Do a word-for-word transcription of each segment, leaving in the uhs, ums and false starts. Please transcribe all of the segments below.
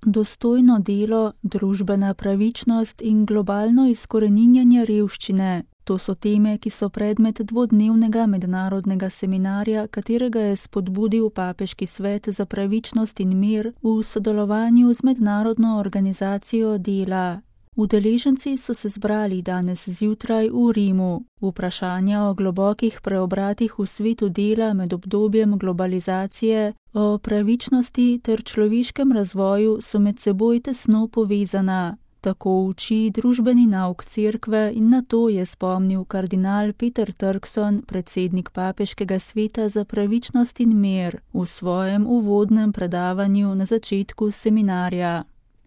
Dostojno delo, družbena pravičnost in globalno izkoreninjanje revščine. To so teme, ki so predmet dvodnevnega mednarodnega seminarja, katerega je spodbudil Papeški svet za pravičnost in mir v sodelovanju z Mednarodno organizacijo dela. Udeleženci so se zbrali danes zjutraj v Rimu. Vprašanja o globokih preobratih v svetu dela med obdobjem globalizacije, o pravičnosti ter človeškem razvoju so med seboj tesno povezana. Tako uči družbeni nauk cerkve in na to je spomnil kardinal Peter Turkson, predsednik Papeškega sveta za pravičnost in mir, v svojem uvodnem predavanju na začetku seminarja.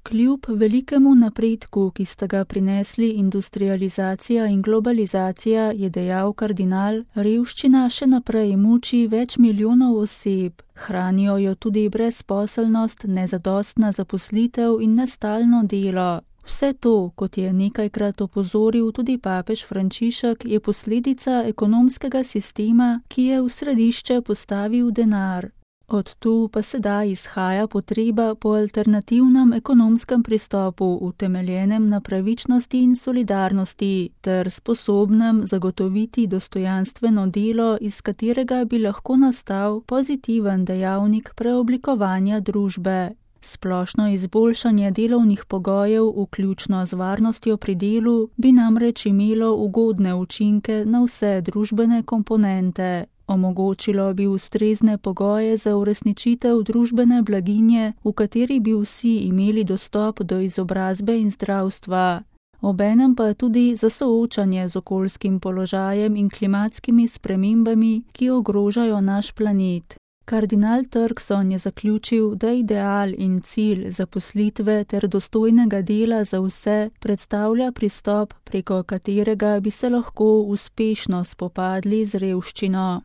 Kljub velikemu napredku, ki sta ga prinesli industrializacija in globalizacija, je dejal kardinal, revščina še naprej muči več milijonov oseb. Hranijo jo tudi brezposelnost, nezadostna zaposlitev in nestalno delo. Vse to, kot je nekajkrat opozoril tudi papež Frančišek, je posledica ekonomskega sistema, ki je v središče postavil denar. Od tu pa sedaj izhaja potreba po alternativnem ekonomskem pristopu, utemeljenem na pravičnosti in solidarnosti, ter sposobnem zagotoviti dostojanstveno delo, iz katerega bi lahko nastal pozitiven dejavnik preoblikovanja družbe. Splošno izboljšanje delovnih pogojev, vključno z varnostjo pri delu, bi namreč imelo ugodne učinke na vse družbene komponente. Omogočilo bi ustrezne pogoje za uresničitev družbene blaginje, v kateri bi vsi imeli dostop do izobrazbe in zdravstva. Obenem pa tudi za soočanje z okoljskim položajem in klimatskimi spremembami, ki ogrožajo naš planet. Kardinal Turkson je zaključil, da ideal in cilj zaposlitve ter dostojnega dela za vse predstavlja pristop, preko katerega bi se lahko uspešno spopadli z revščino.